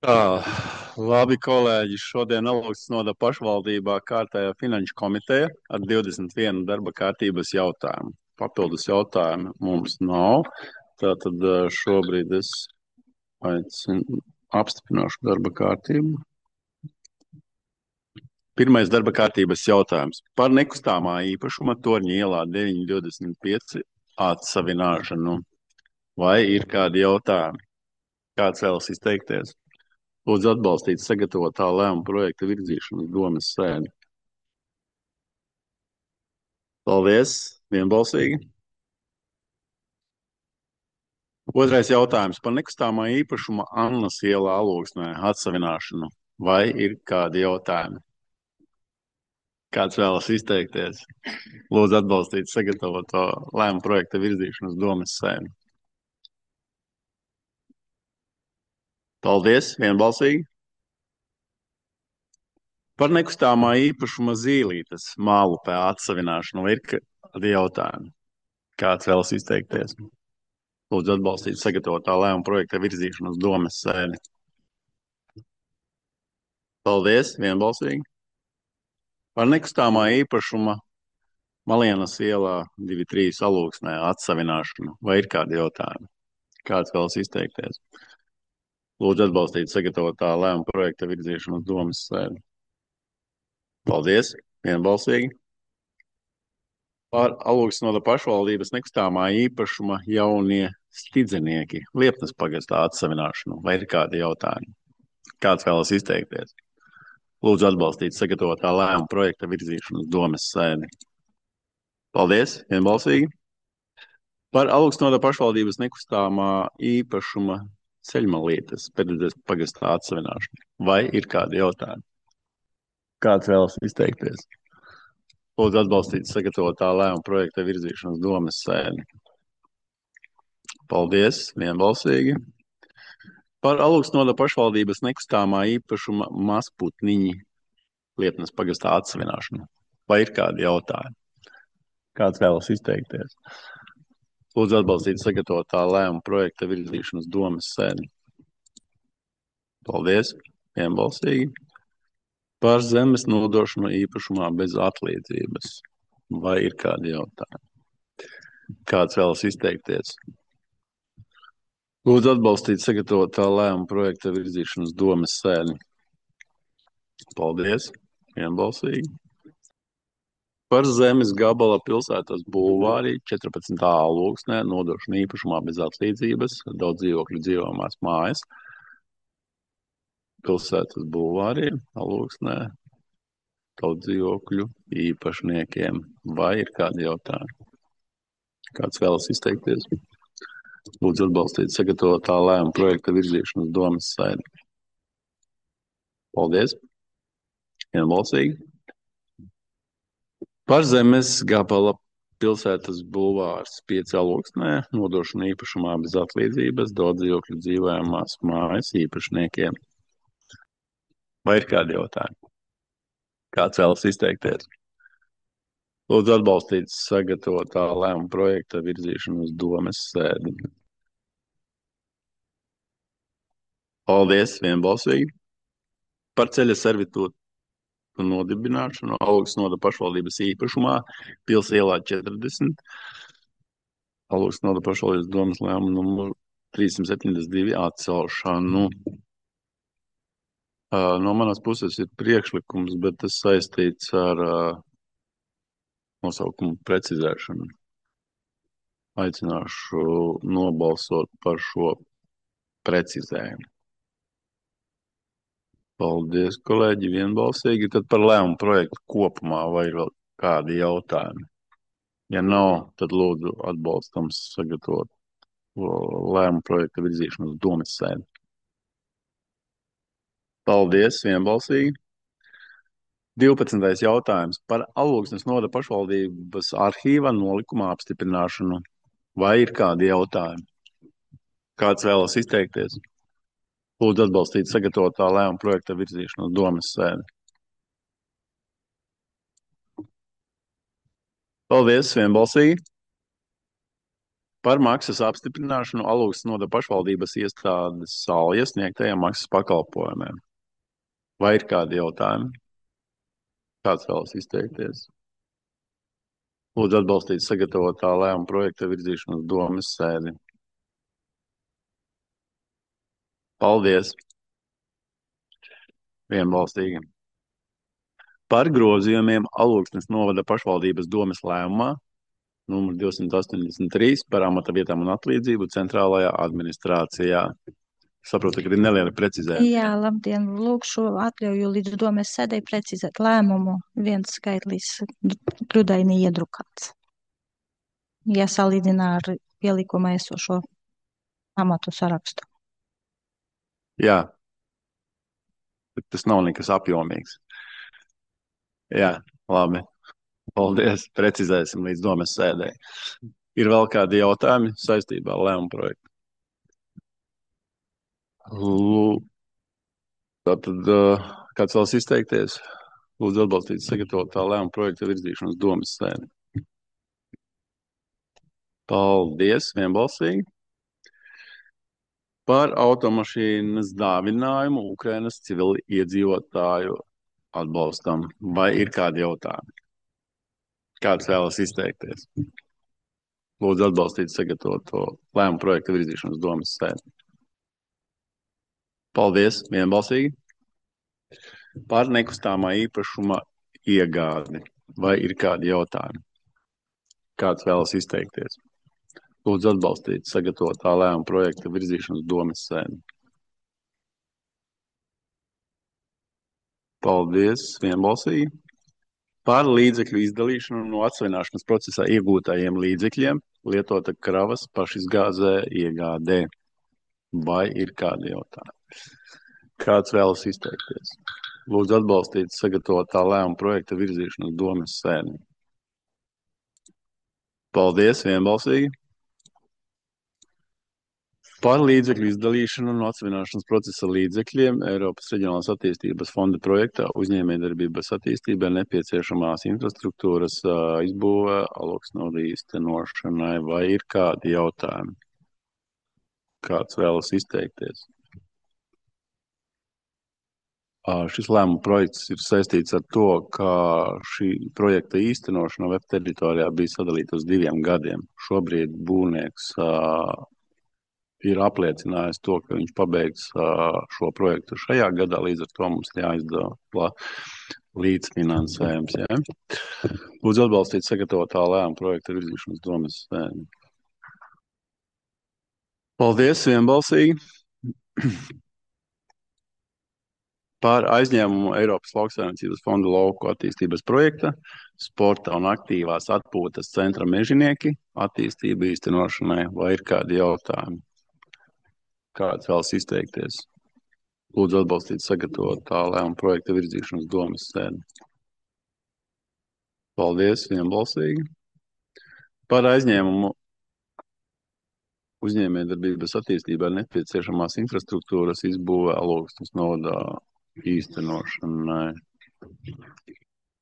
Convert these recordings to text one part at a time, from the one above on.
Labi, kolēģi, šodien Alaukstes novada pašvaldībā kārtējā finanšu komiteja ar 21 darba kārtības jautājumu. Papildus jautājumu mums nav. Tātad šobrīd es apstiprināšu darba kārtību. Pirmais darba kārtības jautājums par nekustamā īpašuma Torņa ielā 925 atsavināšanu. Vai ir kādi jautājumi? Kāds vēlas izteikties? Lūdzu atbalstīt sagatavotā lēmuma projekta virzīšanu uz domes sēdi. Paldies, vienbalsīgi. Otrais jautājums par nekustamā īpašuma Annas ielā Alūksnē atsavināšanu. Vai ir kādi jautājumi? Kāds vēlas izteikties? Lūdzu atbalstīt sagatavoto lēmuma projekta virzīšanu uz domes sēdi. Paldies, vienbalsīgi. Par nekustamā īpašuma Zīlītes mālupē atsavināšanu. Vai ir kādi jautājumi? Kāds vēlas izteikties? Lūdzu atbalstīt sagatavotā lēmuma projekta virzīšanu uz domes sēdi. Paldies, vienbalsīgi. Par nekustamā īpašuma Malienas ielā 2-3 Alūksnē atsavināšanu. Vai ir kādi jautājumi? Kāds vēlas izteikties? Lūdzu atbalstīt sagatavotā lēmuma projekta virzīšanu uz domes sēdi. Paldies, vienbalsīgi. Par Alūksnes novada pašvaldības nekustamā īpašuma jaunie stidzenieki Liepnes pagastā atsavināšanu. Vai ir kādi jautājumi? Kāds vēlas izteikties? Lūdzu atbalstīt sagatavotā lēmuma projekta virzīšanu uz domes sēdi. Paldies, vienbalsīgi. Par Alūksnes novada pašvaldības nekustamā īpašuma Ceļmalītes pēdējais pagastā atsavināšanu. Vai ir kādi jautājumi? Kāds vēlas izteikties? Lūdzu atbalstīt sagatavotā lēmuma projekta virzīšanu uz domes sēdi. Paldies, vienbalsīgi. Par Alūksnes novada pašvaldības nekustamā īpašuma Mazputniņi Liepnes pagastā atsavināšanu. Vai ir kādi jautājumi? Kāds vēlas izteikties? Lūdzu atbalstīt sagatavotā lēmuma projekta virzīšanu uz domes sēdi. Paldies, vienbalsīgi. Par zemes nodošanu īpašumā bez atlīdzības. Vai ir kādi jautājumi? Kāds vēlas izteikties? Lūdzu atbalstīt sagatavotā lēmuma projekta virzīšanu uz domes sēdi. Paldies, vienbalsīgi. Par zemes gabala pilsētas bulvārī 14. Alūksnē nodošanu īpašumā bez atlīdzības daudz dzīvokļu dzīvojamās mājas. Pilsētas bulvārī Alūksnē daudz dzīvokļu īpašniekiem. Vai ir kādi jautājumi? Kāds vēlas izteikties? Lūdzu atbalstīt sagatavotā lēmuma projekta virzīšanu uz domes sēdi. Paldies, vienbalsīgi. Par zemes gabala pilsētas bulvārs 5 Alūksnē nodošanu īpašumā bez atlīdzības daudz dzīvokļu dzīvojamās mājas īpašniekiem. Vai ir kādi jautājumi? Kāds vēlas izteikties? Lūdzu atbalstīt sagatavotā lēmuma projekta virzīšanu uz domes sēdi. Paldies, vienbalsīgi. Par ceļa servitūtu nodibināšanu Alūksnes novada pašvaldības īpašumā Pils ielā 40. Alūksnes novada pašvaldības domes lēmuma numuru 372 atcelšanu. No manas puses ir priekšlikums, bet tas saistīts ar nosaukumu precizēšanu. Aicināšu nobalsot par šo precizējumu. Paldies, kolēģi, vienbalsīgi. Tad par lēmumu projektu kopumā vai ir vēl kādi jautājumi? Ja nav, tad lūdzu atbalstam sagatavot lēmumu projekta virzīšanu uz domes sēdi. Paldies, vienbalsīgi. 12. jautājums par Alūksnes novada pašvaldības arhīva nolikuma apstiprināšanu. Vai ir kādi jautājumi? Kāds vēlas izteikties? Lūdzu atbalstīt sagatavotā lēmuma projekta virzīšanu uz domes sēdi. Paldies, vienbalsīgi. Par maksas apstiprināšanu Alūksnes novada pašvaldības iestādes Salja sniegtajiem maksas pakalpojumiem. Vai ir kādi jautājumi? Kāds vēlas izteikties? Lūdzu atbalstīt sagatavotā lēmuma projekta virzīšanu uz domes sēdi. Paldies! Vienbalstīgi. Par grozījumiem Alūksnes novada pašvaldības domes lēmumā numur 283 par amata vietām un atlīdzību centrālajā administrācijā. Saprotu, ka ir neliela precizējuma. Jā, labdien, lūkšu atļauju līdz domes sēdei precizēt lēmumu. Viens skaitlis kļūdaini iedrukāts. Ja salīdzinā ar pielikumā esošo amatu sarakstu. Jā, bet tas nav nekas apjomīgs. Jā, labi. Paldies. Precizēsim līdz domes sēdē. Ir vēl kādi jautājumi saistībā ar lēmumu projektu? Tātad, kāds vēlas izteikties? Lūdzu atbalstīt sagatavotā lēmuma projekta virzīšanu uz domes sēdi. Paldies, vienbalsīgi. Par automašīnas dāvinājumu Ukrainas civili iedzīvotāju atbalstam. Vai ir kādi jautājumi? Kāds vēlas izteikties? Lūdzu atbalstīt sagatavoto lēmumu projekta virzīšanu uz domes sēdi. Paldies, vienbalsīgi. Par nekustāmā īpašuma iegādi. Vai ir kādi jautājumi? Kāds vēlas izteikties? Lūdzu atbalstīt sagatavotā lēmuma projekta virzīšanu uz domes sēdi. Paldies, vienbalsīgi. Par līdzekļu izdalīšanu no atsvaināšanas procesā iegūtajiem līdzekļiem lietota kravas pašizgāzē iegādē. Vai ir kādi jautājumi? Kāds vēlas izteikties? Lūdzu atbalstīt sagatavotā lēmuma projekta virzīšanu uz domes sēdi. Paldies, vienbalsīgi. Par līdzekļu izdalīšanu no atsvaināšanas procesa līdzekļiem Eiropas Reģionālās attīstības fonda projektā uzņēmējdarbības attīstībai nepieciešamās infrastruktūras izbūve Alūksnes novada īstenošanai. Vai ir kādi jautājumi? Kāds vēlas izteikties? Šis lēmuma projekts ir saistīts ar to, ka šī projekta īstenošana web teritorijā bija sadalīta uz 2 gadiem. Šobrīd būvnieks ir apliecinājis to, ka viņš pabeigs šo projektu šajā gadā, līdz ar to mums jāizdala līdzfinansējums. Ja? Lūdzu atbalstīt sagatavotā lēmuma projekta virzīšanas domes sēdi. Paldies, vienbalsīgi. Par aizņēmumu Eiropas lauksaimniecības fonda lauku attīstības projekta sporta un aktīvās atpūtas centra Mežinieki attīstību īstenošanai. Vai ir kādi jautājumi? Kāds vēlas izteikties? Lūdzu atbalstīt sagatavotā lēmuma projekta virzīšanas domes sēdi. Paldies, vienbalsīgi. Par aizņēmumu uzņēmējdarbības attīstībai nepieciešamās infrastruktūras izbūve Alūksnes novadā īstenošanai.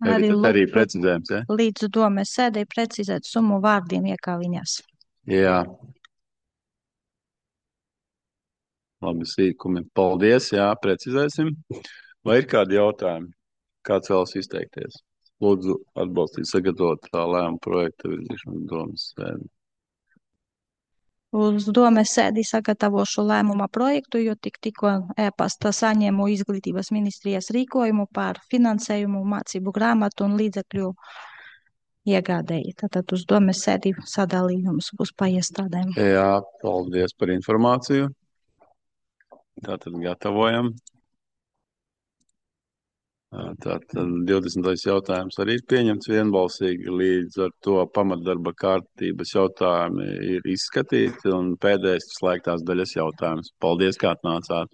Arī precizējums, ja? Līdz domes sēdei precizēt summu vārdiem iekāviņās. Jā. Labi, sīkumi. Paldies, jā, precizēsim. Vai ir kādi jautājumi? Kāds vēlas izteikties? Lūdzu atbalstīt sagatavotā lēmuma projekta virzīšanas domes sēdi. Uz domes sēdi sagatavošu lēmuma projektu, jo tikko e-pasta saņēmu izglītības ministrijas rīkojumu par finansējumu, mācību grāmatu un līdzekļu iegādēji. Tātad uz domes sēdi sadalījums būs pa iestādēm. Jā, paldies par informāciju. Tātad gatavojam. Tātad 20. jautājums arī ir pieņemts vienbalsīgi, līdz ar to pamatdarba kārtības jautājumi ir izskatīti un pēdējais slēgtās daļas jautājums. Paldies, kā atnācāt!